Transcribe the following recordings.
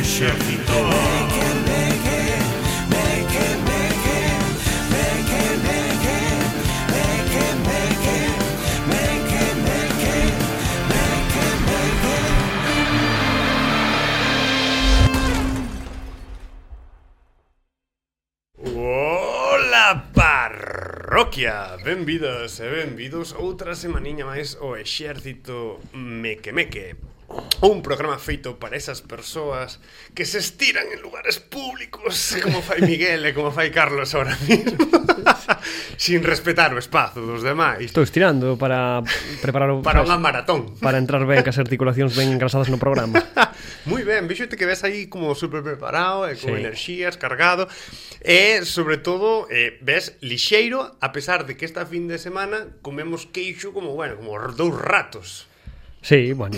exército. Ola, parroquia! Benvidas e benvidos outra semaniña máis ao exército Meque Meque. Un programa feito para esas persoas que se estiran en lugares públicos, como fai Miguel e como fai Carlos ahora mismo, sin respetar o espazo dos demais. Estou estirando para preparar o... Para unha maratón. Para entrar ben, que as articulacións ben engrasadas no programa. Moi ben, vexote que ves aí como super preparado e con Sí. enerxías, cargado. E, sobre todo, ves lixeiro, a pesar de que esta fin de semana comemos queixo como, bueno, como dous ratos. Sí, bueno.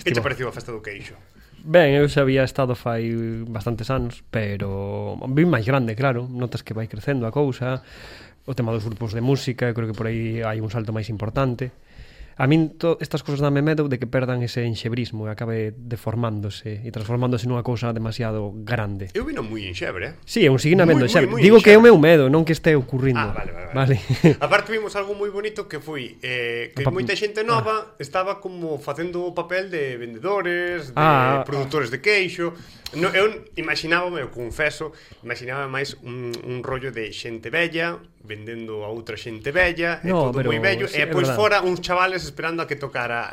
Que te pareceu a festa do queixo? Ben, eu xa había estado fai bastantes anos, pero ben máis grande, claro. Notas que vai crecendo a cousa. O tema dos grupos de música, creo que por aí hai un salto máis importante. A min estas cousas dame medo de que perdan ese enxebrismo e acabe deformándose e transformándose nunha cousa demasiado grande. Eu vino moi enxebre, Sí, eu seguín habendo Moi, enxebre. moi Digo que é o enxebre. meu medo, non que este ocurrindo. Vale. Aparte vimos algo moi bonito que foi que moita xente nova estaba como facendo o papel de vendedores, de produtores de queixo. No, eu imaginábame, eu confeso, imaginábame máis un rollo de xente bella vendendo a outra xente bella, e todo moi bello, sí, e pois fora uns chavales esperando a que tocara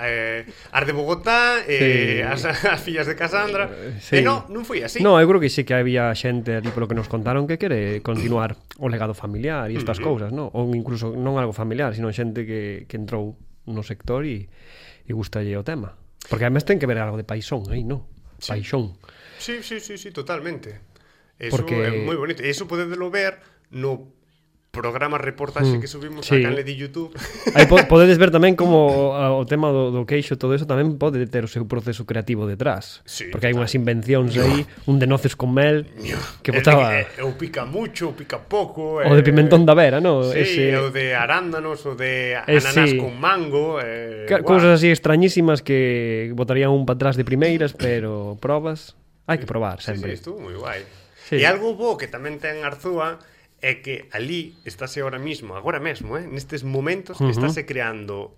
as de Bogotá, Sí. as fillas de Casandra. Sí. E non foi así. No, eu creo que sí que había xente ali polo que nos contaron que quere continuar o legado familiar e estas cousas, no? Ou incluso non algo familiar, sino xente que entrou no sector e gustalle o tema. Porque además ten que ver algo de paixón aí, no? Sí. Paixón. Sí, totalmente. Eso Porque... é moi bonito. E iso podedelo ver no programa reportaxe que subimos sí. a canle de YouTube. Aí podedes ver tamén como o tema do queixo, todo eso tamén pode ter o seu proceso creativo detrás. Sí, porque hai unhas invencións aí, un de noces con mel que botaba... O pica mucho, o pica pouco. O de pimentón da vera, no? Sí, Ese... o de arándanos, o de ananás sí. con mango. Cousas así extrañísimas que botarían un para atrás de primeiras, pero probas... Hai que probar sempre. Sí, estuvo moi guai. Sí. E algo bo que tamén ten Arzúa é que ali estáse agora mesmo, nestes momentos, estáse creando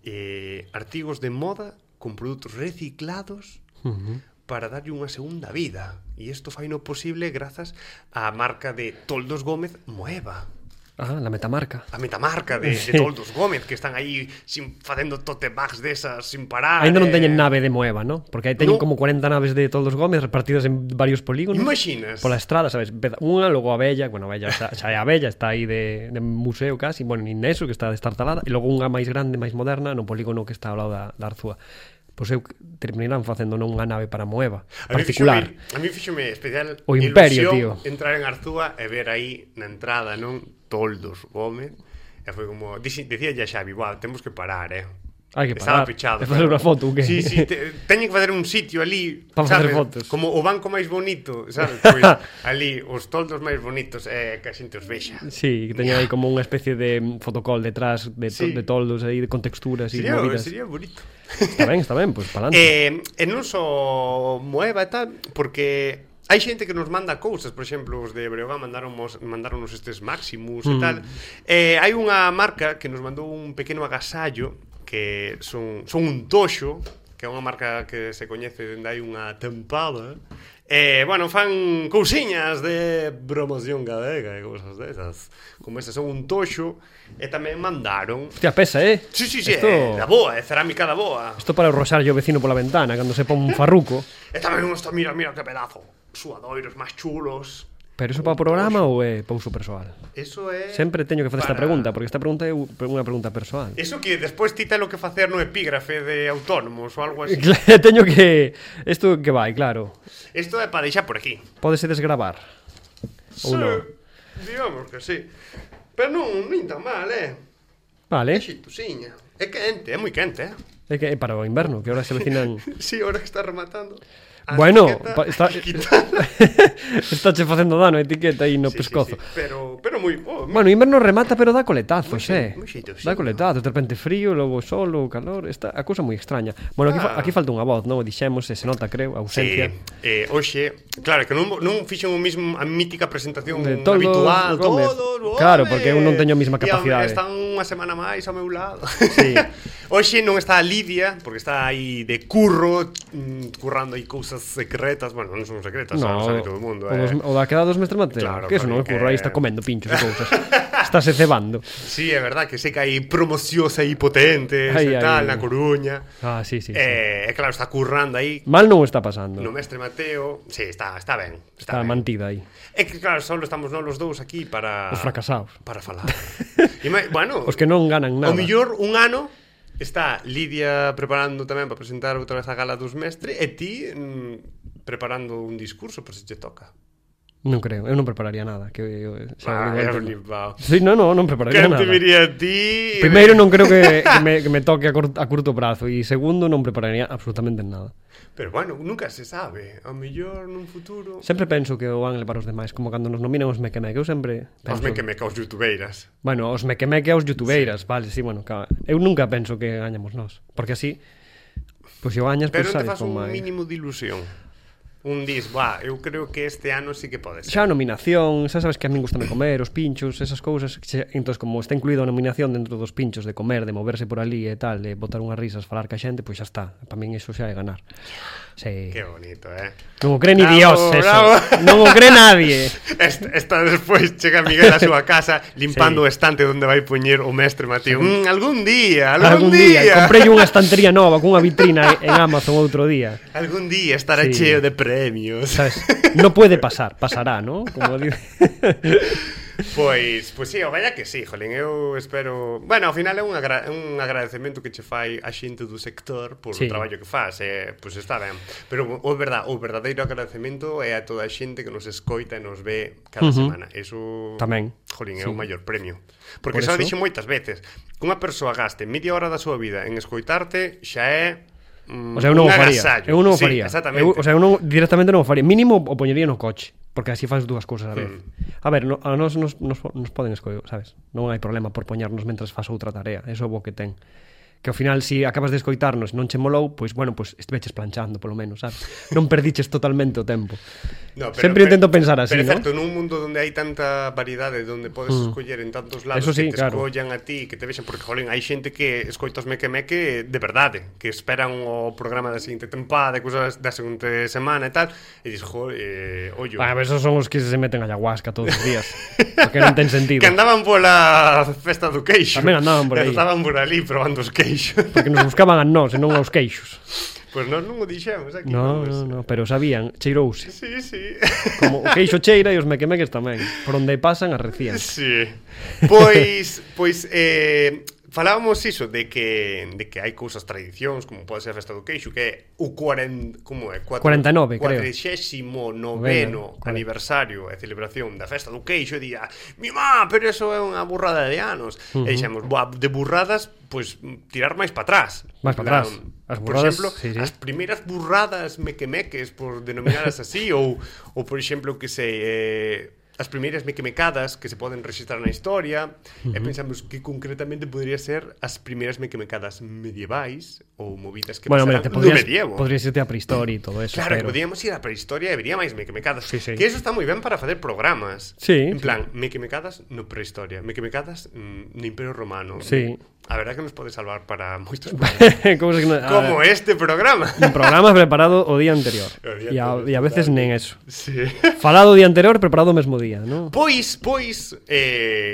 artigos de moda con produtos reciclados para darlle unha segunda vida. E isto fai no posible grazas á marca de Toldos Gómez Moeva. Ah, la metamarca. A metamarca de Toldos Gómez, que están aí facendo tote bags desas sin parar. Ainda non teñen nave de Moeva, ¿no? Porque aí teñen No. como 40 naves de Toldos Gómez repartidas en varios polígonos. Imaginas? Pola estrada, sabes? Unha, logo a Bella, bueno, a Bella xa é a Bella, está aí de museo casi, bueno, nin eso, que está destartalada, e logo unha máis grande, máis moderna, no polígono que está ao lado da Arzúa. Pois eu terminarán facendo non unha nave para Moeva particular. A mí fíxome especial O Imperio, ilusión tío. entrar en Arzúa e ver aí na entrada, non? Toldos Gómez. E foi como... Dicía ya Xavi, temos que parar, Hai que Estaba parar. pechado. E facer unha foto, o que? Sí, teñen que facer un sitio ali, Para sabes? facer fotos. Como o banco máis bonito, sabes? Pois ali, os toldos máis bonitos que a xente os vexa. Sí, que teña aí como unha especie de fotocall detrás de toldos aí, con texturas e movidas. Sería bonito. Está ben, pois palante. E non só Moeva e tal, porque hai xente que nos manda cousas, por exemplo, os de Breogán mandaronnos estes Maximus e tal. Hai unha marca que nos mandou un pequeno agasallo que son un toxo, que é unha marca que se coñece dende hai unha tempada. Bueno, fan cousiñas de promoción galega e cousas desas. Como esas son un toxo. E tamén mandaron... Hostia, pesa, Sí, Esto... da boa, é cerámica da boa. Isto para roxar yo vecino pola ventana cando se pon un farruco. E tamén unos, mira que pedazo. Suadoiros máis chulos. Pero iso para o programa ou é para uso persoal? Eso é... Sempre teño que facer esta pregunta, porque esta pregunta é unha pregunta persoal. Eso que despois ti ten o que facer no epígrafe de autónomos ou algo así. Teño que... Isto que vai, claro. Isto é para deixar por aquí. Pódese desgravar. Ou non? Digamos que sí. Pero non tan mal, Vale. É xitusiña. É quente, é moi quente, É que é para o inverno, que ahora se vecinan... Sí, ahora que está rematando. Bueno, está estáche facendo dano a etiqueta aí no pescozo. Sí. Pero moi... Bueno, inverno remata, pero dá coletazos, moi xeito, Dá coletazos, de repente frío, logo sol, logo calor, a cousa moi extraña. Bueno, aquí falta unha voz, non? Dixemos, se nota, creo, a ausencia. Sí, hoxe, claro, que non fixen o mismo a mítica presentación de todo habitual, claro, porque eu non teño a mesma capacidade. Están unha semana máis ao meu lado. Sí. Hoxe non está a Lidia, porque está aí de curro, currando aí cousas secretas, bueno, non son secretas, no, sabe todo o mundo. O da queda dos mestre Mateo, claro, que eso non ocurre, aí está comendo pinchos e cousas. Estáse cebando. Sí, é verdad que sei que hai promocións aí potentes e tal, na Coruña. Sí. Claro, está currando aí. Mal non o está pasando. No mestre Mateo, sí, está ben. Está ben. Mantida aí. É que claro, só estamos nós os dous aquí para... Os fracasados. Para falar. Bueno, os que non ganan nada. O mellor un ano está Lidia preparando tamén para presentar outra vez a gala dos mestres e ti preparando un discurso por se te toca. Non creo, eu non prepararía nada que Sí, non prepararía nada. Que te viría a ti? Primeiro non creo que me toque a curto prazo e segundo non prepararía absolutamente nada. Pero bueno, nunca se sabe. Ao mellor nun futuro... Sempre penso que o van levar os demais, como cando nos nominan os mequemeque. Eu sempre penso... Os mequemeque aos youtubeiras. Bueno, os mequemeque aos youtubeiras, sí. Vale, sí, bueno, eu nunca penso que gañamos nós, porque así, pois se o gañas, pero pois sabes sabes como un mínimo de ilusión. Un dis, eu creo que este ano sí que pode ser. Xa a nominación, xa sabes que a min gustame comer, os pinchos, esas cousas. Entón, como está incluído a nominación dentro dos pinchos, de comer, de moverse por ali e tal, de botar unhas risas, falar ca xente, pois xa está. Para min iso xa é ganar. Sí. Qué bonito, Non o cree ni Dios eso. Non o cree nadie. Esta despois chega Miguel a súa casa limpando o estante onde vai poñer o mestre Mateo. Algún día. Comprei unha estantería nova cunha vitrina en Amazon outro día. Algún día estará cheo de premios. ¿Sabes? No puede pasar, pasará, ¿no? Como dice. Pois sí, vaya que sí, jolín, eu espero... Bueno, ao final é un agradecemento que che fai a xente do sector por o traballo que faz, pois está ben. Pero o verdadeiro agradecemento é a toda a xente que nos escoita e nos ve cada semana. Eso, tamén, jolín, é o maior premio. Porque xa o dixo moitas veces, que unha persoa gaste media hora da súa vida en escoitarte xa é... O sea, eu non o faría. Eu non o faría. Exactamente. Eu directamente non o faría. Mínimo o poñería no coche, porque así faz dúas cousas a vez. A ver, a nos poden escoitar, sabes? Non hai problema por poñarnos mentras faz outra tarea. Eso é o bo que ten. Que ao final, se acabas de escoitarnos e non che molou, pois, bueno, pois estiveches planchando, polo menos, sabes? Non perdiches totalmente o tempo. No, sempre intento pensar así, pero ¿no? Pero é certo, nun mundo onde hai tanta variedade, onde podes escoller en tantos lados, sí, que te escollan a ti, que te vexen, porque, jolín, hai xente que escoita os meque-meque de verdade, que esperan o programa da seguinte tempada, cousas da seguinte semana e tal, e dis, ollo. Ah, esos son os que se meten a ayahuasca todos os días, porque non ten sentido. Que andaban pola festa do queixo. Tamén andaban por aí. Estaban por ali probando os queixos. Porque nos buscaban a nós e non aos queixos. Pois nós non o dixemos aquí. No, pero sabían, cheirouse. Sí. Como o queixo cheira e os mequemeques tamén. Por onde pasan arrecían. Sí. Pois falábamos iso de que hai cousas tradicións, como pode ser a festa do queixo, que é o 49, creo. 49º aniversario e celebración da festa do queixo, e día, mi má, pero eso é unha burrada de anos. E dixemos, de burradas, pois tirar máis para atrás. Máis para atrás. As burradas, por exemplo, sí. As primeiras burradas mequemeques, por denominadas así, ou por exemplo, que sei... as primeiras mequemecadas que se poden registrar na historia, e pensamos que concretamente podría ser as primeiras mequemecadas medievais ou movidas que pasaran no medievo. Podrías irte a prehistoria e todo eso. Claro, que podíamos ir a prehistoria e vería máis mequemecadas. Sí. Que eso está moi ben para facer programas. Sí. En plan, mequemecadas no prehistoria, mequemecadas no Imperio Romano. Sí. A verdad que nos pode salvar para moitos programas. Como este programa. Un programa preparado o día anterior. E a veces nen eso. Sí. Falado o día anterior, preparado o mesmo día, ¿no? Pois,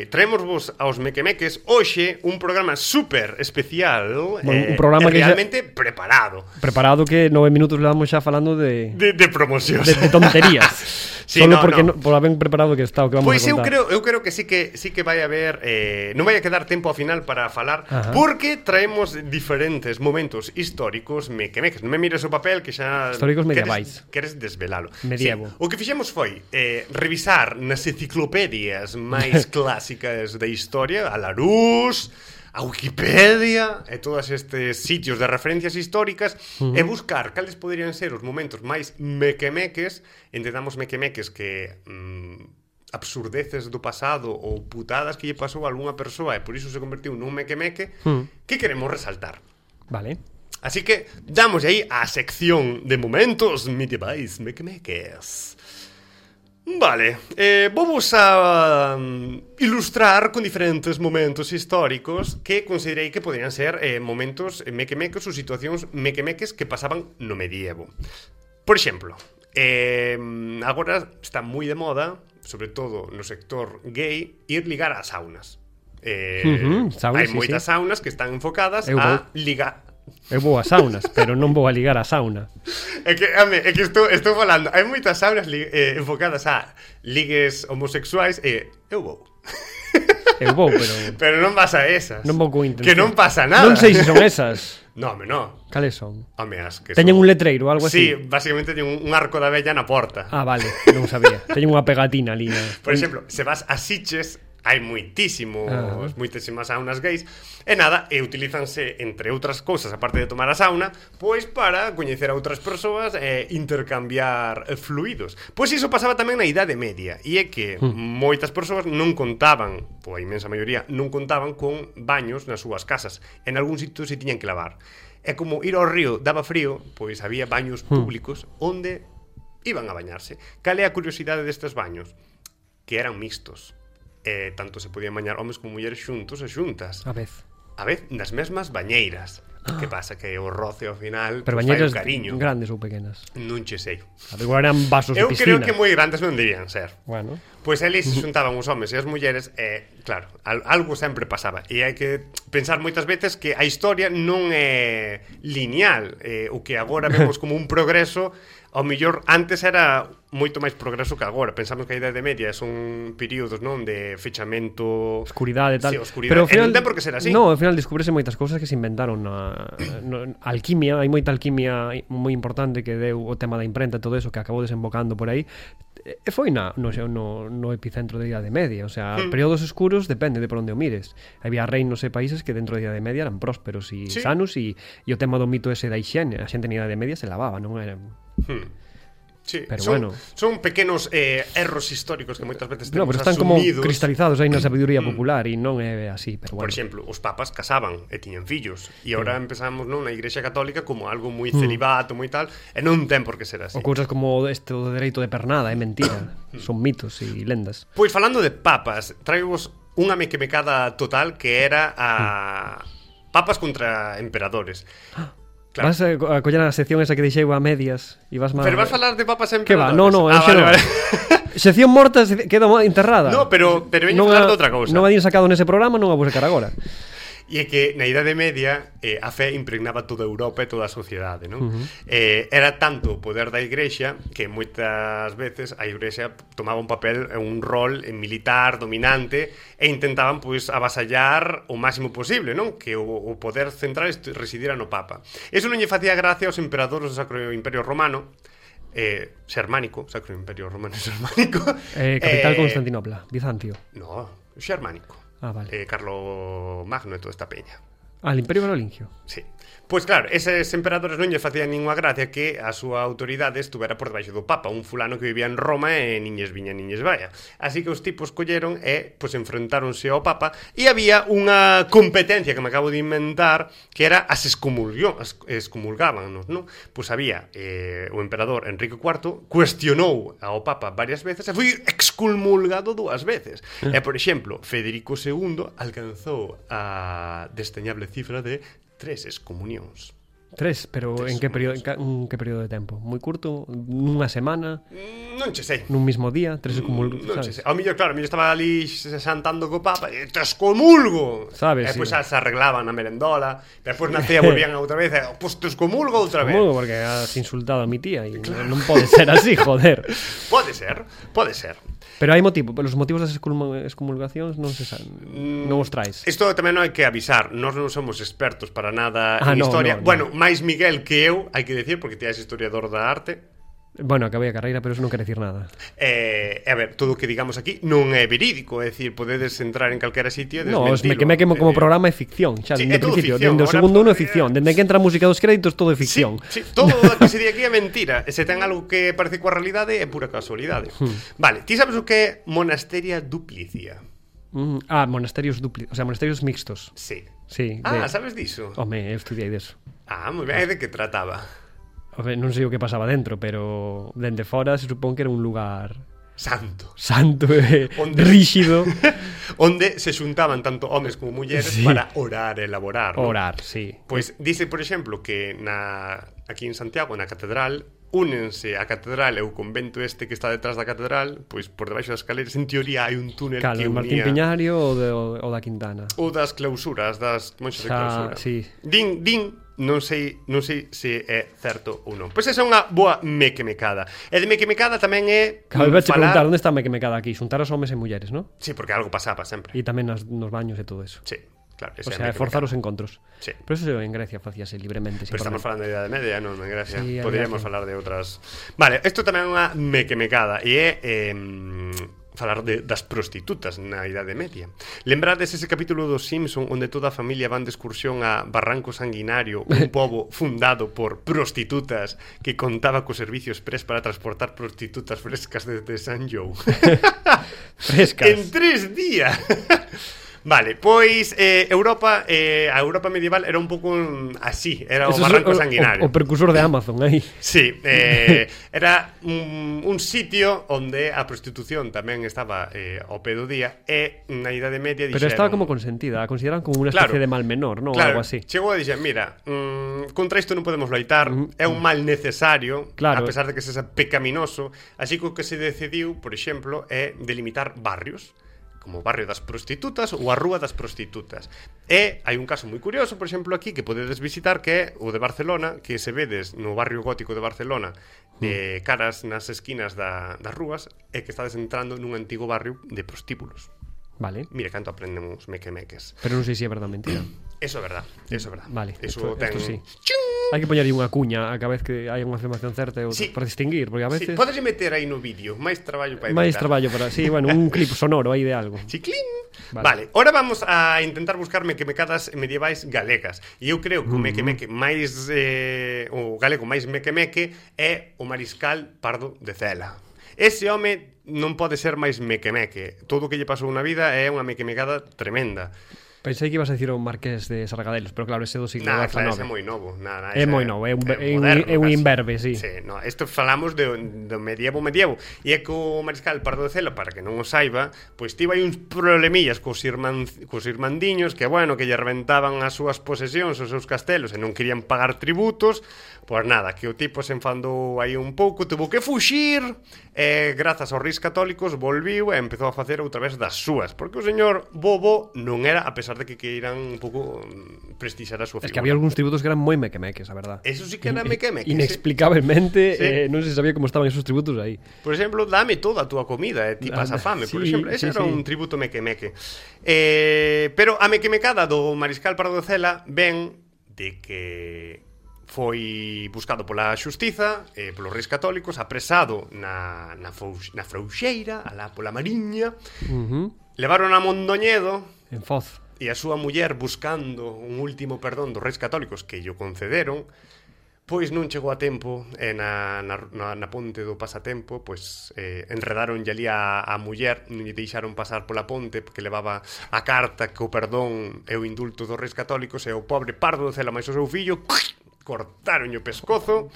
traemosvos aos mequemeques hoxe un programa super especial, un programa que realmente preparado. Preparado, que 9 minutos levamos xa falando de promocións. De tonterías. Sí, solo porque por haber preparado que está o que vamos a contar. Pois eu creo que sí que vai haber non vai a quedar tempo ao final para falar. Ajá. Porque traemos diferentes momentos históricos mequemeques. Non me mires o papel que xa... Históricos medievais. Queres desvelalo. Medievo. Sí. O que fixemos foi revisar nas enciclopedias máis clásicas da historia, a Larousse, a Wikipedia e todos estes sitios de referencias históricas e buscar cales poderían ser os momentos máis mequemeques, entendamos mequemeques que absurdeces do pasado ou putadas que lle pasou a algunha persoa e por iso se convertiu nun mequemeque que queremos resaltar. Vale. Así que damos aí a sección de momentos medievais mequemeques. Vale, vamos a ilustrar con diferentes momentos históricos que considerei que podrían ser momentos mequemeques ou situacións mequemeques que pasaban no medievo. Por exemplo, agora está moi de moda, sobre todo no sector gay, ir ligar ás saunas. Hai moitas saunas que están enfocadas a ligar. Eu vou a saunas, pero non vou a ligar a sauna. É que estou falando, hai moitas saunas enfocadas a ligues homosexuais e eu vou. Eu vou, pero non vas a esas. Non vou con intención. Que non pasa nada. Non sei se son esas. No, home, no. Cales son? Home, as que teñen son... un letreiro ou algo así? Sí, básicamente teñen un arco da vella na porta. Ah, vale, non sabía. Teñen unha pegatina ali. Por exemplo, se vas a Sitges, hai moitísimas saunas gays e nada, e utilízanse entre outras cousas, aparte de tomar a sauna, pois para coñecer a outras persoas e intercambiar fluidos. Pois iso pasaba tamén na Idade Media, e é que moitas persoas non contaban, ou a imensa maioría, non contaban con baños nas súas casas. En algún sitio se tiñan que lavar. E como ir ao río daba frío, pois había baños públicos onde iban a bañarse. Cal é a curiosidade destes baños? Que eran mixtos. Tanto se podían bañar homes como mulleres xuntos e xuntas. A vez nas mesmas bañeiras. Que pasa que o roce ao final pero bañeiras grandes ou pequenas? Non che sei. Igual eran vasos de piscina. Eu creo que moi grandes non debían ser. Bueno. Pois eles se xuntaban os homes e as mulleres e, claro, algo sempre pasaba. E hai que pensar moitas veces que a historia non é lineal. O que agora vemos como un progreso, ao mellor antes era moito máis progreso que agora. Pensamos que a Idade Media son períodos, non, de fechamento, oscuridade e tal. Sí, oscuridade. Pero ao final non ten por que ser así. No, ao final descubrese moitas cousas que se inventaron na alquimia, hai moita alquimia moi importante que deu o tema da imprenta e todo eso que acabou desembocando por aí. E foi no epicentro da Idade Media, o sea, períodos escuros depende de por onde o mires. Había reinos e países que dentro da Idade Media eran prósperos e sanos e o tema do mito ese da hixiene, a xente na Idade Media se lavaba, non era... Sí, pero son pequenos erros históricos que moitas veces temos pero están asumidos, como cristalizados aí na sabiduría popular e non é así, pero bueno. Por exemplo, os papas casaban e tiñan fillos e agora empezamos non na Igrexa Católica como algo moi celibato, moi tal, e non ten por que ser así. O cousas como este do dereito de pernada é mentira, son mitos e lendas. Pois falando de papas, traivos unha mequemecada total que era a papas contra emperadores. Claro. Vas a coller a sección esa que deixei a medias e vas Pero vas falar de papas emperadores. Que va? No, vale. Sección morta queda enterrada. No, pero veño falar de outra cousa. Non a din sacado nese programa, non a vou sacar agora. E é que na Idade Media a fe impregnaba toda Europa e toda a sociedade, non? Era tanto o poder da Igrexa que moitas veces a Igrexa tomaba un papel, un rol militar, dominante, e intentaban pois avasallar o máximo posible, non? Que o poder central residira no Papa. Eso non lle facía gracia aos emperadores do Sacro Imperio Romano, xermánico, Sacro Imperio Romano xermánico. Capital Constantinopla, Bizancio. No, xermánico. Ah, vale. Carlo Magno e toda esta peña. Al Imperio Carolingio. Sí. Pois claro, eses emperadores non lle facían ninguna gracia que a súa autoridade estuvera por debaixo do Papa, un fulano que vivía en Roma e niñes viña, niñes vaya. Así que os tipos colleron e pois enfrentáronse ao Papa e había unha competencia que me acabo de inventar que era as excomulgábanos, non? Pois había o emperador Enrique IV cuestionou ao Papa varias veces e foi excomulgado 2 veces. E, por exemplo, Federico II alcanzou a desteñable cifra de 3 excomunións. 3, pero en que período de tempo? Moi curto? Nunha semana? Non che sei. Nun mismo día? 3 excomulgos, non che sei. Ao mellor, claro, estaba ali santando co Papa e te excomulgo. Sabes, e depois se arreglaban a merendola, depois nacía, volvían outra vez, e pois te excomulgo outra vez. Excomulgo porque has insultado a mi tía e non pode ser así, joder. Pode ser. Pero hai motivo, os motivos das excomulgacións non se saben, non os traes. Isto tamén non hai que avisar, nós non somos expertos para nada en historia. No. Bueno, máis Miguel que eu, hai que decir, porque ti és historiador da arte. Bueno, acabei a carreira, pero eso non quere dicir nada. A ver, todo o que digamos aquí non é verídico, é dicir, podedes entrar en calquera sitio e No, os desmentilo. Mequemeque como programa é ficción, xa, Sí, dende é todo o principio, ficción, dende o ahora segundo uno é podría- ficción, dende que entra a música dos créditos todo é ficción. Sí, todo o que se di aquí é mentira. E se ten algo que parece coa realidade é pura casualidade. Vale, ti sabes o que é Monasteria Duplicia? Monasterios o sea, monasterios mixtos. Sí. Sí. Sabes diso? Home, eu estudiei deso. Moi ben, e de que trataba? Home, non sei o que pasaba dentro, pero dende fora se supón que era un lugar Santo. santo e Onde- ríxido. Onde se xuntaban tanto homes como mulleres Sí. para orar e elaborar, ¿no? Orar, sí. Pois dice, por exemplo, que aquí en Santiago, na catedral, únense a catedral e o convento este que está detrás da catedral, pois por debaixo das escaleras, en teoría hai un túnel Cal, que Martín unía Piñario ou da Quintana. ou das clausuras, das monxas de clausura. Sí. Din, non sei se é certo ou non. Pois esa é unha boa mequemecada. E de mequemecada tamén é Claro, iba a preguntar onde está a Mequemecada aquí, xuntar os homes e mulleres, ¿no? Sí, porque algo pasaba sempre. E tamén nos baños e todo eso. Sí, claro. O sea, forzar os encontros. Sí. Pero eso en Grecia facíase libremente. Pero estamos falando de Idade Media, non? En Grecia. Sí, Poderíamos Grecia. falar de outras. Vale, isto tamén é unha mequemecada. E é falar das prostitutas na Idade Media. Lembrades ese capítulo dos Simpson onde toda a familia van de excursión a Barranco Sanguinario, un pobo fundado por prostitutas que contaba co servicio express para transportar prostitutas frescas desde San Jou. Frescas. En 3 días. Vale, pois Europa, a Europa medieval era un pouco así, era o Eso Barranco é Sanguinario. o precursor de Amazon aí. Sí, era un sitio onde a prostitución tamén estaba ao pé do día e na Idade Media dixeron... Pero estaba como consentida, a consideran como unha Claro. especie de mal menor, ¿no? Claro, Algo así. chegou a dixer, mira, contra isto non podemos loitar, é un mal necesario, Claro. a pesar de que sexa pecaminoso, así que o que se decidiu, por exemplo, é delimitar barrios, como o barrio das prostitutas ou a rúa das prostitutas. E hai un caso moi curioso, por exemplo, aquí que podedes visitar, que é o de Barcelona, que se vedes no barrio gótico de Barcelona, caras nas esquinas das rúas, e que estades entrando nun antigo barrio de prostíbulos. Vale. Mira canto aprendemos mequemeques. Pero non sei se é verdade ou mentira. Eso é verdad, eso é verdad. Vale, Eso esto sí. ¡Ching! Hai que poñer aí unha cuña a cada vez que hai unha afirmación certa e outra, Sí. para distinguir, porque a Sí, veces podes meter aí no vídeo, máis traballo para máis editar. traballo para, sí, bueno, un clip sonoro aí de algo. Chiclín. Vale. Vale, ahora vamos a intentar buscar mequemecadas medievais galegas. E eu creo que o mequemeque máis o galego máis mequemeque é o mariscal Pardo de Cela. Ese home non pode ser máis mequemeque. Todo o que lle pasou na vida é unha mequemecada tremenda. Pensei que ibas a dicir o Marqués de Sargadelos, pero claro, ese do siglo Nah, claro, ese é XIX. moi novo. É moi novo, é un moderno, casi. imberbe, sí. Sí, no, isto falamos do medievo. E é que o mariscal Pardo de Cela, para que non o saiba, pois tivo aí uns problemillas cos irmandiños que, bueno, que lle reventaban as súas posesións, os seus castelos, e non querían pagar tributos. Pois nada, que o tipo se enfandou aí un pouco, tuvo que fuxir, e grazas aos reis católicos volviu e empezou a facer outra vez das súas, porque o señor Bobo non era, a pesar de que queiran un pouco prestixar a súa figura. Es que había algúns tributos que eran moi mequemeques, a verdad. Eso sí que era mequemeque. Inexplicablemente, Sí. non se sabía como estaban esos tributos aí. Por exemplo, dame toda a túa comida e ti pasa fame, por Sí, exemplo. Ese sí, era sí. un tributo mequemeque. Pero a mequemecada do mariscal Pardo de Cela ven de que foi buscado pola xustiza, polos reis católicos, apresado na Frouxeira, alá pola Mariña, levaron a Mondoñedo En Foz. e a súa muller buscando un último perdón dos reis católicos que lle concederon, pois non chegou a tempo e na ponte do pasatempo pois enredaronlle ali a muller, non lle deixaron pasar pola ponte porque levaba a carta que o perdón e o indulto dos reis católicos, e o pobre Pardo de Cela máis o seu fillo cortaronlle o pescozo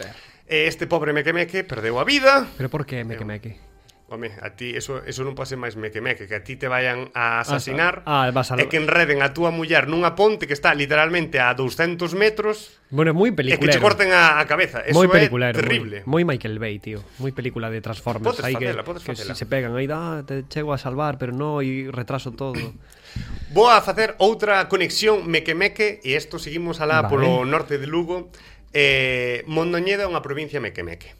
e este pobre mequemeque perdeu a vida. Pero por que mequemeque? Home, a ti eso non pode ser máis mequemeque, que a ti te vayan a asasinar vas a... e que enreden a túa muller nunha ponte que está literalmente a 200 metros Bueno, moi e que peliculero. che corten a cabeza. Eso Moi é peliculero, terrible. moi Michael Bay, tío. Moi película de Transformers. Podes Aí facela. que si se pegan aí, te chego a salvar, pero no, e retraso todo. Vou a facer outra conexión mequemeque e isto seguimos alá Vale. polo norte de Lugo. Mondoñedo é unha provincia mequemeque.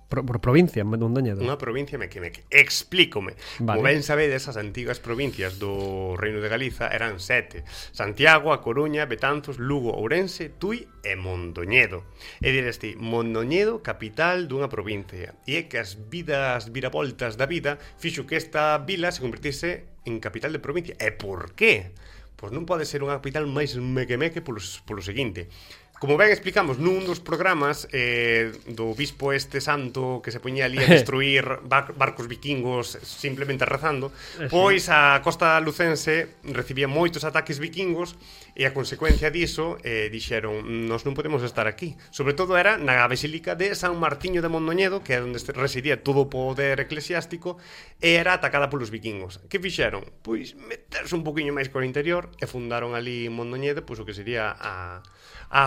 Por provincia, Mondoñedo. Unha provincia mequemeque. Explícome. Vale. Como ben sabedes, as antigas provincias do Reino de Galiza eran 7. Santiago, A Coruña, Betanzos, Lugo, Ourense, Tui e Mondoñedo. E dirás ti, Mondoñedo, capital dunha provincia. E é que as viravoltas da vida fixo que esta vila se convertise en capital de provincia. E por qué? Pois non pode ser unha capital máis mequemeque polo seguinte. Como ben explicamos nun dos programas do bispo este santo que se poñía ali a destruir barcos vikingos simplemente rezando, pois a costa lucense recibía moitos ataques vikingos e a consecuencia diso dixeron, nós non podemos estar aquí. Sobre todo era na basílica de San Martiño de Mondoñedo, que é onde residía todo o poder eclesiástico, e era atacada polos vikingos. Que fixeron? Pois meterse un poquinho máis co interior e fundaron ali en Mondoñedo, pois o que sería a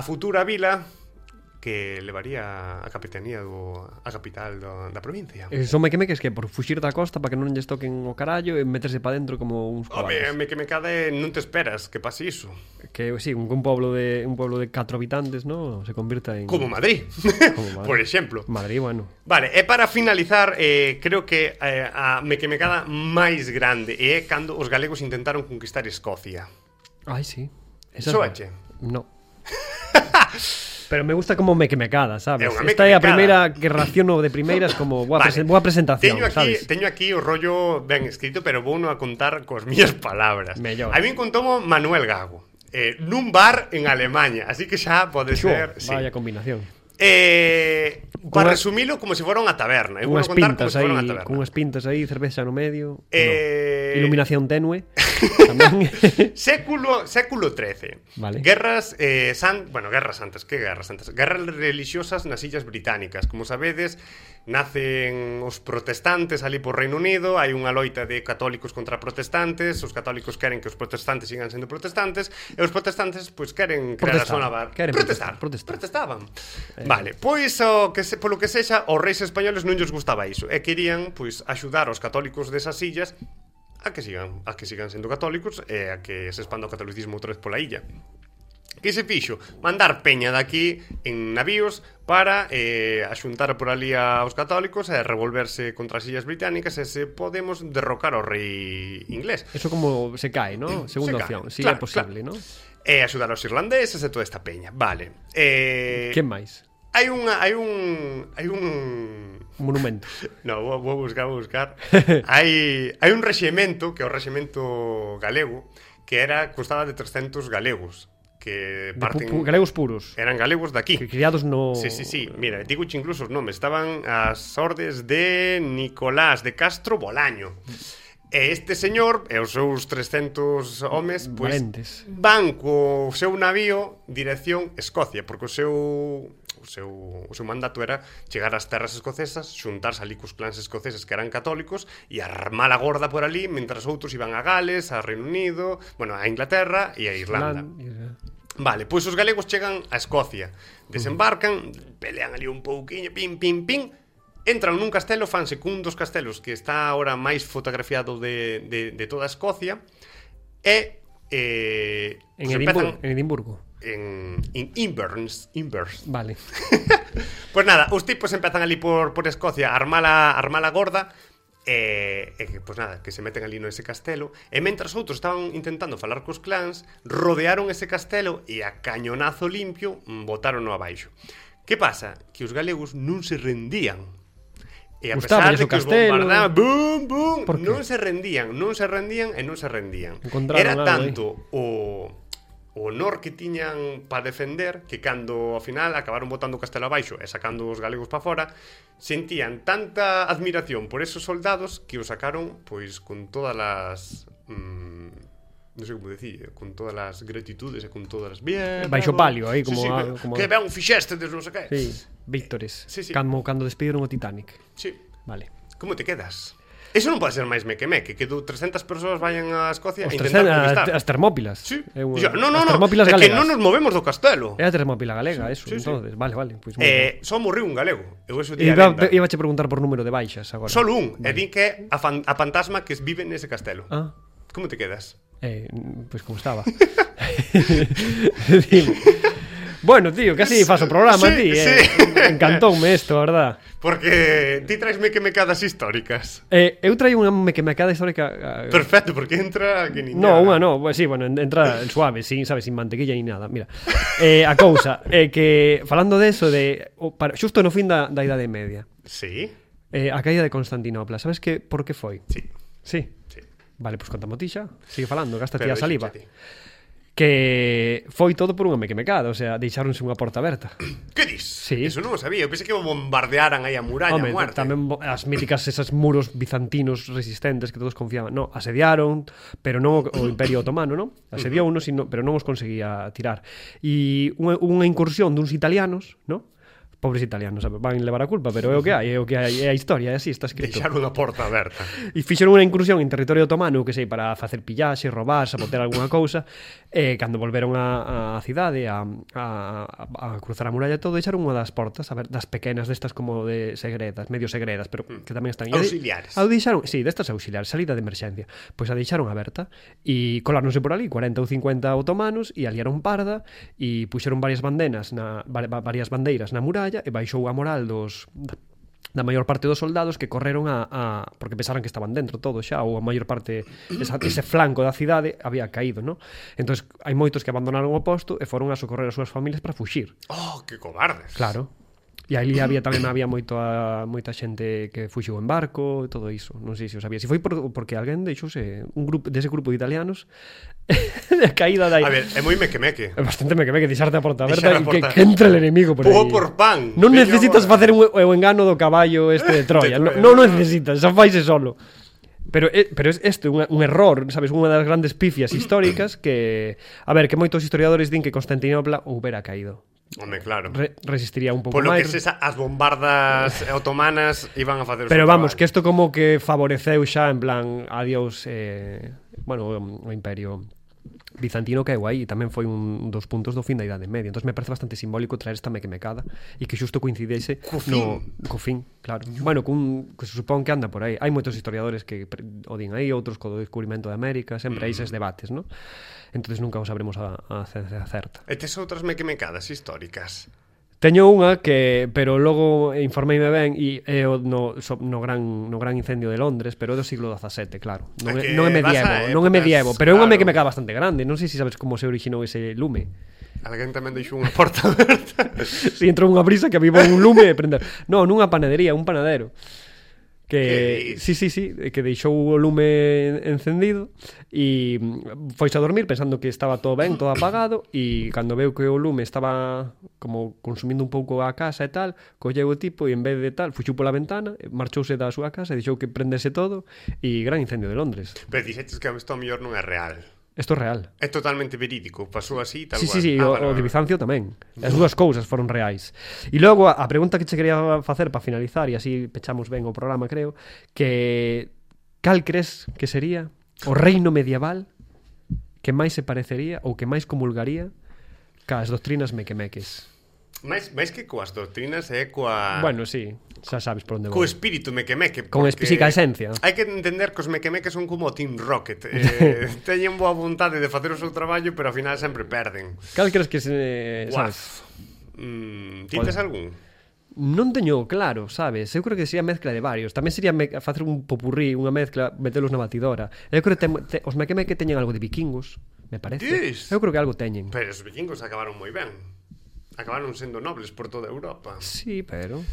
futura vila que levaría a capitanía a capital da provincia. Son mequemeques que por fuxir da costa para que non lles toquen o carallo e meterse para dentro como uns cobardes. Mequemecade non te esperas que pase iso. Que sí, un pueblo de 4 habitantes, ¿no? Se convirta en como Madrid. Por exemplo. Madrid, bueno. Vale, e para finalizar, creo que a mequemecada máis grande é cando os galegos intentaron conquistar Escocia. Ai, sí. Soache? No. Pero me gusta como mequemecada, sabes? Esta é a primeira que raciono de primeiras como boa presentación, sabes? Teño aquí o rollo ben escrito, pero vou a contar cos mías palabras. Mellor. A min contomo Manuel Gago, nun bar en Alemania, así que xa pode ser... Vaya combinación. Para resumilo, como se fora unha taberna. Unhas pintas aí, con unhas pintas aí, cerveza no medio, iluminación tenue. Século XIII. Vale. Guerras santas, que guerras santas? Guerras religiosas nas illas británicas. Como sabedes, nacen os protestantes ali por Reino Unido, hai unha loita de católicos contra protestantes, os católicos queren que os protestantes sigan sendo protestantes e os protestantes pois queren crear a súa nova... Protestaban. Vale, pois polo que sexa, os reis españoles non lles gustaba iso e querían pois axudar os católicos desas illas a que sigan sendo católicos e a que se expanda o catolicismo outra vez pola illa. Que se fixo? Mandar peña daqui en navíos para axuntar por ali aos católicos e revolverse contra as illas británicas e se podemos derrocar ao rei inglés. Eso como se cae, ¿no? Segunda opción, si é posible, ¿no? E axudar aos irlandeses e toda esta peña. Vale. Quen máis? Hai un monumento. No, vou buscar. Hai un rexemento, que é o rexemento galego, que constaba de 300 galegos que parten... galegos puros. Eran galegos daqui. Que criados no... Sí. Mira, digoche incluso os nomes. Estaban as ordes de Nicolás de Castro Bolaño. E este señor e os seus 300 homes van co seu navío dirección Escocia, porque o seu mandato era chegar ás terras escocesas, xuntarse ali cos clans escoceses que eran católicos e armar a gorda por ali, mentras outros iban a Gales, a Reino Unido, a Inglaterra e a Irlanda. Vale, pois os galegos chegan a Escocia, desembarcan, pelean ali un pouquiño, pim, entran nun castelo, fanse cun dos castelos que está ahora máis fotografiado de toda Escocia e en Edimburgo. En Inverness. Vale. Pues nada, os tipos empezan ali por Escocia a armar a gorda e pues nada, que se meten ali no ese castelo e mentras outros estaban intentando falar cos clans, rodearon ese castelo e a cañonazo limpio botárono abaixo. Que pasa? Que os galegos non se rendían. E a pesar de que os bombardeaban, non se rendían. Era tanto o honor que tiñan para defender que cando ao final acabaron botando o castelo abaixo e sacando os galegos para fora, sentían tanta admiración por esos soldados que os sacaron pois con todas as non sei como decir, con todas as gratitudes e con todas as bien baixo palio aí como que ben fixestes, non sei que. Sí, víctores. Cando despediron o Titanic. Sí. Vale. Como te quedas? Eso non pode ser máis mequemeque, que 300 persoas vayan a Escocia e intentar conquistar. As Termópilas. Sí. No, Termópilas galegas. Que non nos movemos do castelo. É a Termópila galega, eso, entonces. Vale. Pues só morreu un galego. Iba a preguntar por número de baixas agora. Solo un. E din que a fantasma que vive nese castelo. Como te quedas? Pues como estaba. Bueno, tío, casi faso o programa, Sí, ti, sí. Encantoume isto, a verdad. Porque ti traes mequemecadas históricas. Eu traio unha mequemecada histórica. Perfecto, porque entra que nin No, unha no, pues sí, bueno, entra suave, sin, sabes, sin mantequilla ni nada. Mira, a cousa é que falando de eso xusto no fin da Idade Media, Sí, a caída de Constantinopla, sabes que por que foi? sí, Sí. sí. Vale, pois contamo ti xa. Sigue falando, gasta ti Pero a saliva. deixa ti. Que foi todo por unha mequemecada, o sea, deixáronse unha porta aberta. Que dis? Sí. Eso non o sabía. Eu pensei que bombardearan aí a muralla a Home, muerte. tamén as míticas esas muros bizantinos resistentes que todos confiaban. No, asediaron, pero non o Imperio Otomano, non? Asediou unos, pero non os conseguía tirar. E unha incursión duns italianos, non? Pobres italianos, sabe? Van levar a culpa, pero é o que hai, é a historia, é así, está escrito. Deixaron a porta aberta. E fixeron unha incursión en territorio otomano, que sei, para facer pillaxe, robar, sabotear algunha cousa, e cando volveron á cidade a cruzar a muralla e todo, deixaron unha das portas, a ver, das pequenas, destas como de segredas, medio segredas, pero que tamén están... Auxiliares. Deixaron, sí, destas auxiliares, salida de emerxencia. Pois a deixaron aberta, e coláronse por ali 40 ou 50 otomanos, e aliaron parda, e puxeron varias bandeiras na muralla, e baixou a moral da maior parte dos soldados que correron porque pensaran que estaban dentro todo xa, ou a maior parte ese flanco da cidade había caído, non? Entón hai moitos que abandonaron o posto e foron a socorrer as súas familias para fuxir. Oh, que cobardes. Claro. E ali tamén había moita xente que fuxiu en barco e todo iso. Non sei se o sabía. Se foi porque alguén deixouse dese grupo de italianos a caída dai. A ver, é moi mequemeque. É bastante mequemeque deixarte a porta aberta Deixar a e porta. que entre el enemigo por aí. Pugo por pan. Non Veña necesitas agora. facer o engano do caballo este de Troya. De Troya. Non necesitas, xa faise solo. Pero este un error, sabes, unha das grandes pifias históricas que, a ver, que moitos historiadores din que Constantinopla houbera caído. Home, claro. Resistiría un pouco Polo máis. que as bombardas otomanas iban a facer o Pero seu vamos, traballo. que isto como que favoreceu xa en plan adiós bueno, o imperio bizantino caeu aí, tamén foi un dos puntos do fin da Idade Media. Entón me parece bastante simbólico traer esta mequemecada e que xusto coincidese co fin, claro. Bueno, que se supón que anda por aí. Hai moitos historiadores que o din aí, outros co descubrimento de América, sempre hai eses debates, ¿no? Entonces nunca o sabremos a ciencia certa. E tes outras mequemecadas históricas? Teño unha pero logo informeime ben e é no gran incendio de Londres, pero é do siglo XVII, claro. Non é medievo, pero é unha mequemecada bastante grande. Non sei se sabes como se originou ese lume. Alguén tamén deixou unha porta aberta. Si entrou unha brisa que avivou un lume e prendeu. Non, nunha panadería, un panadero. Que que deixou o lume encendido e foise a dormir pensando que estaba todo ben, todo apagado, e cando veu que o lume estaba como consumindo un pouco a casa e tal, colleu o tipo e en vez de tal, fuxiu pola ventana, marchouse da súa casa e deixou que prendese todo, e gran incendio de Londres. Pero dixetes que isto a mellor non é real. Isto é real. É totalmente verídico, pasou así tal Sí, cual. sí, o de Bizancio tamén. As dúas cousas foron reais. E logo a pregunta que che quería facer para finalizar, e así pechamos ben o programa, creo, que cal crees que sería o reino medieval que máis se parecería ou que máis comulgaría cas doctrinas mequemeques? Mais que coas doctrinas é coa... Bueno, sí, xa sabes por onde Co vou. espírito mequemeque. Con espísica esencia. Hai que entender que os mequemeques son como o Team Rocket. Teñen boa vontade de facer o seu traballo, pero ao final sempre perden. Cal crees que se... sabes? Tintes algún? Non teño claro, sabes? Eu creo que sería mezcla de varios. Tamén sería facer un popurrí, unha mezcla, metelos na batidora. Eu creo que os mequemeque teñen algo de vikingos, me parece. Dis? Eu creo que algo teñen. Pero os vikingos acabaron moi ben. Acabaron sendo nobles por toda Europa. Sí, pero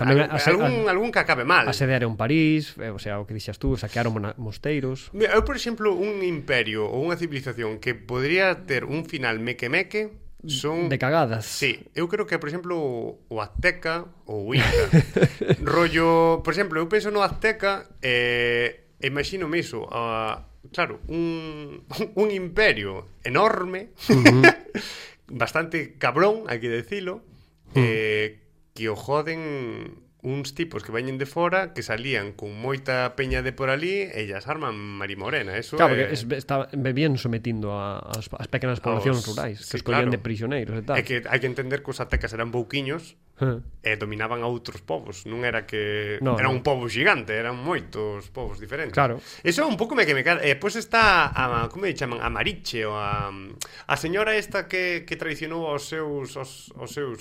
algún que acabe mal. Asediaron París, o sea, o que dixas tú, saquearon mosteiros. Eu, por exemplo, un imperio ou unha civilización que podría ter un final mequemeque son... De cagadas. Sí, eu creo que, por exemplo, o Azteca ou o Inca. Rollo, por exemplo, eu penso no Azteca e imagínome iso, claro, un imperio enorme, bastante cabrón, hai que decilo, que o joden uns tipos que veñen de fora, que salían con moita peña de por ali e ellas arman marimorena. Eso claro, porque bebían sometindo as pequenas poblacións rurais, que escollían de prisioneiros e tal. É que hai que entender que os aztecas eran pouquiños dominaban a outros povos. Non era que No, era no. un povo xigante, eran moitos povos diferentes. Claro. Eso é un pouco me que me cara. Pois está como lle chaman? A Mariche ou a señora esta que traicionou aos seus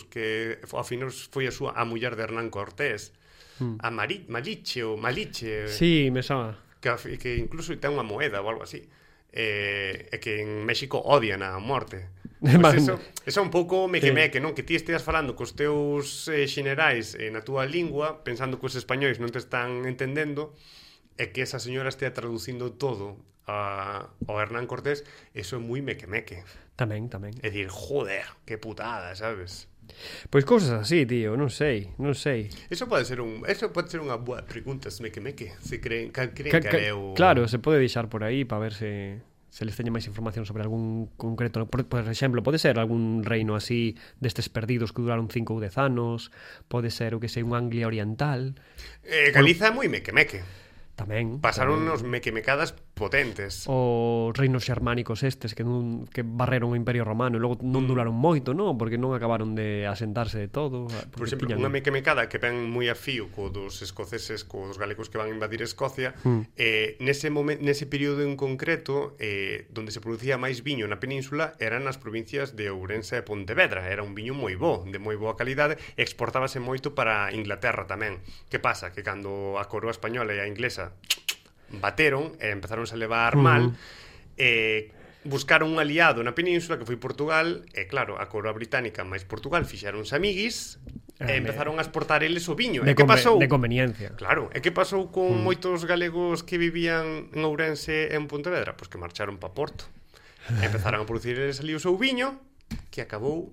que ao final foi a muller de Hernán Cortés. A Maliche ou Maliche. Sí, me soa. Que incluso ten unha moeda ou algo así. E que en México odian a morte. Pois eso é un pouco me que non? Que ti esteas falando cos teus xenerais na túa lingua, pensando que os españois non te están entendendo, e que esa señora estea traducindo todo ao Hernán Cortés, eso é moi meque. Tamén. É dicir, joder, que putada, sabes? Pois cousas así, tío, non sei. Eso pode ser unha boa pregunta, meque. Se creen que é o... Claro, se pode deixar por aí para ver se les teña máis información sobre algún concreto. Por exemplo, pode ser algún reino así destes perdidos que duraron 5 ou 10 anos, pode ser o que sei un Anglia oriental. Galiza é moi meque. Tamén. Pasaron unos mecadas potentes. Os reinos xermánicos estes que barreron o Imperio Romano e logo non duraron moito, non? Porque non acabaron de asentarse de todo. Por exemplo, unha mecada que ven moi a fío co dos escoceses, co dos galegos que van a invadir Escocia, nese período en concreto, donde se producía máis viño na península, eran nas provincias de Ourense e Pontevedra. Era un viño moi bo, de moi boa calidade, e exportábase moito para Inglaterra tamén. Que pasa? Que cando a coroa española e a inglesa bateron e empezaron a levar mal, buscaron un aliado na península que foi Portugal, e claro, a coroa británica máis Portugal fixeronse amiguis e empezaron a exportar eles o viño. De conveniencia. Claro, e que pasou con moitos galegos que vivían en Ourense e en Pontevedra? Pois que marcharon pa Porto. Empezaron a producir eles ali o seu viño, que acabou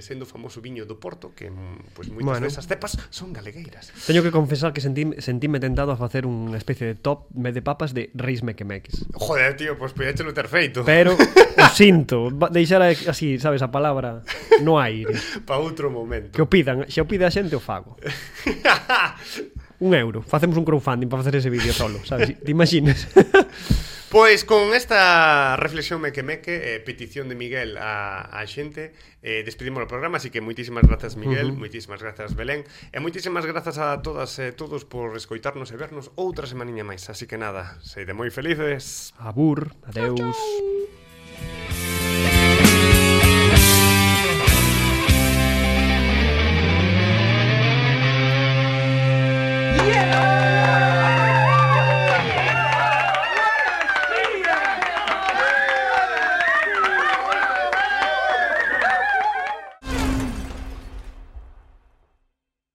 sendo o famoso viño do Porto, que pois moitas desas cepas son galegueiras. Teño que confesar que sentíme tentado a facer unha especie de top de papas de reis mequemeques. Joder, tío, pois podíachelo ter feito. Pero o sinto, deixar así, sabes, a palabra no aire. Pa outro momento. Que o pidan, se o pide a xente o fago. €1, facemos un crowdfunding para facer ese vídeo solo, sabes? Te imaginas? Pois con esta reflexión meque petición de Miguel a xente, despedimos o programa, así que moitísimas grazas Miguel, moitísimas grazas Belén, e moitísimas grazas a todas e todos por escoitarnos e vernos outra semaniña máis. Así que nada, seide moi felices. Abur, adeus. Chau.